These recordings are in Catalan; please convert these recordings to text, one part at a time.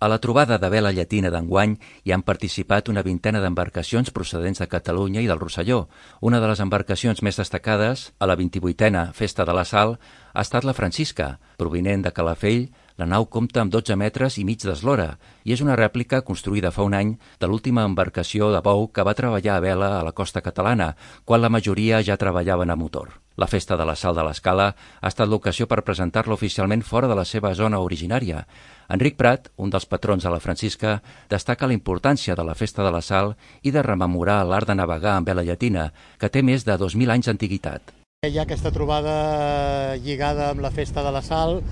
A la trobada de vela llatina d'enguany hi han participat una vintena d'embarcacions procedents de Catalunya i del Rosselló. Una de les embarcacions més destacades, a la 28a Festa de la Sal, ha estat la Francisca. Provinent de Calafell, la nau compta amb 12 metres i mig d'eslora i és una rèplica construïda fa un any de l'última embarcació de bou que va treballar a vela a la costa catalana, quan la majoria ja treballaven a motor. La Festa de la Sal de l'Escala ha estat l'ocasió per presentar-la oficialment fora de la seva zona originària. Enric Prat, un dels patrons de la Francisca, destaca la importància de la Festa de la Sal i de rememorar l'art de navegar amb vela llatina, que té més de 2.000 anys d'antiguitat. Hi ha aquesta trobada lligada amb la Festa de la Sal.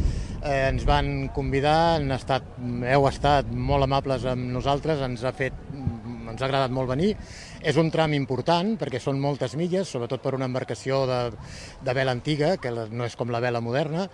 Ens van convidar, heu estat molt amables amb nosaltres, ens ha agradat molt venir. És un tram important perquè són moltes milles, sobretot per una embarcació de vela antiga, que no és com la vela moderna,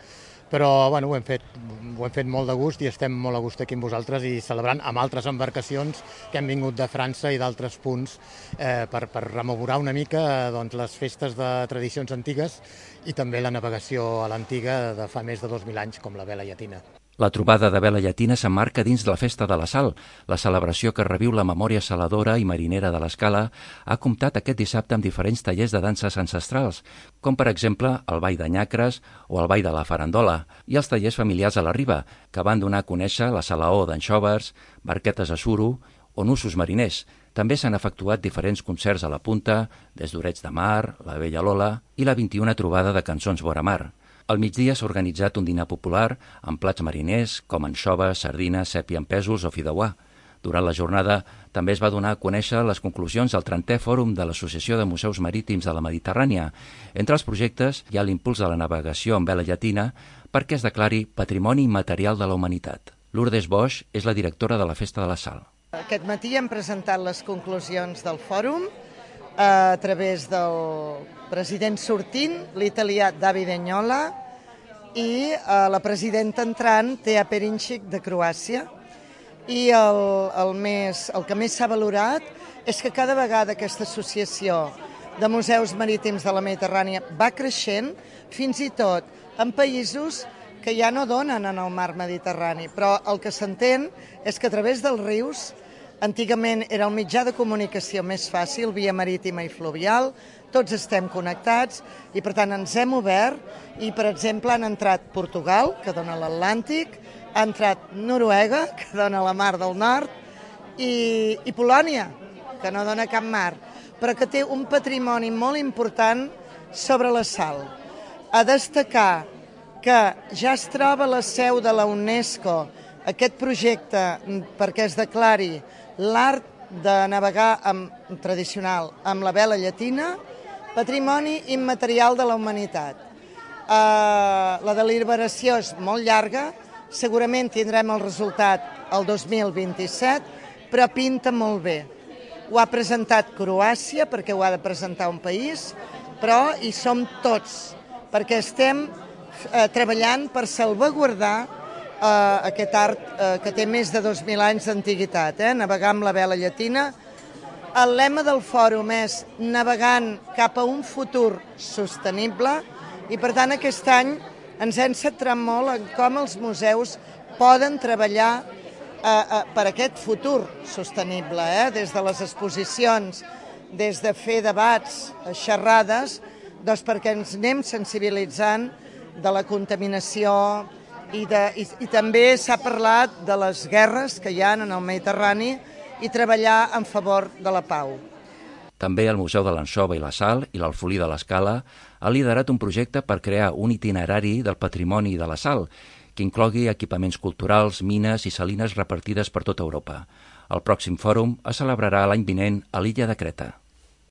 però bueno, ho hem fet molt de gust i estem molt a gust aquí amb vosaltres i celebrant amb altres embarcacions que han vingut de França i d'altres punts per rememorar una mica les festes de tradicions antigues i també la navegació a l'antiga de fa més de 2.000 anys, com la vela llatina. La trobada de vela llatina s'emmarca dins de la Festa de la Sal. La celebració que reviu la memòria saladora i marinera de l'Escala ha comptat aquest dissabte amb diferents tallers de danses ancestrals, com per exemple el ball de nyacres o el ball de la farandola, i els tallers familiars a la riba, que van donar a conèixer la salaó d'anxoves, barquetes a suro o nussos mariners. També s'han efectuat diferents concerts a la punta, des d'Orets de Mar, la Vella Lola i la 21a trobada de cançons vora mar. Al migdia s'ha organitzat un dinar popular amb plats mariners com anxoves, sardines, sèpia amb pèsols o fideuà. Durant la jornada també es va donar a conèixer les conclusions del 30è Fòrum de l'Associació de Museus Marítims de la Mediterrània. Entre els projectes hi ha l'impuls de la navegació amb vela llatina perquè es declari Patrimoni Immaterial de la Humanitat. Lourdes Bosch és la directora de la Festa de la Sal. Aquest matí hem presentat les conclusions del fòrum a través del president sortint, l'italià Davide Agnola, i la presidenta entrant, Tea Perincic, de Croàcia. I el que més s'ha valorat és que cada vegada aquesta associació de museus marítims de la Mediterrània va creixent, fins i tot en països que ja no donen en el mar Mediterrani. Però el que s'entén és que a través dels rius, antigament era el mitjà de comunicació més fàcil, via marítima i fluvial, tots estem connectats i per tant ens hem obert i per exemple han entrat Portugal, que dona l'Atlàntic, ha entrat Noruega, que dona la Mar del Nord, i Polònia, que no dona cap mar, però que té un patrimoni molt important sobre la sal. A destacar que ja es troba la seu de la UNESCO aquest projecte perquè es declari l'art de navegar tradicional amb la vela llatina, Patrimoni Immaterial de la Humanitat. La deliberació és molt llarga, segurament tindrem el resultat el 2027, però pinta molt bé. Ho ha presentat Croàcia, perquè ho ha de presentar un país, però hi som tots, perquè estem treballant per salvaguardar aquest art que té més de 2.000 anys d'antiguitat, navegar amb la vela llatina. El lema del fòrum és navegant cap a un futur sostenible i per tant aquest any ens hem centrat molt en com els museus poden treballar per aquest futur sostenible, des de les exposicions, des de fer debats, xerrades, doncs perquè ens anem sensibilitzant de la contaminació i també s'ha parlat de les guerres que hi ha en el Mediterrani i treballar en favor de la pau. També el Museu de l'Anxova i la Sal i l'Alfolí de l'Escala ha liderat un projecte per crear un itinerari del patrimoni de la sal que inclogui equipaments culturals, mines i salines repartides per tota Europa. El pròxim fòrum es celebrarà l'any vinent a l'illa de Creta.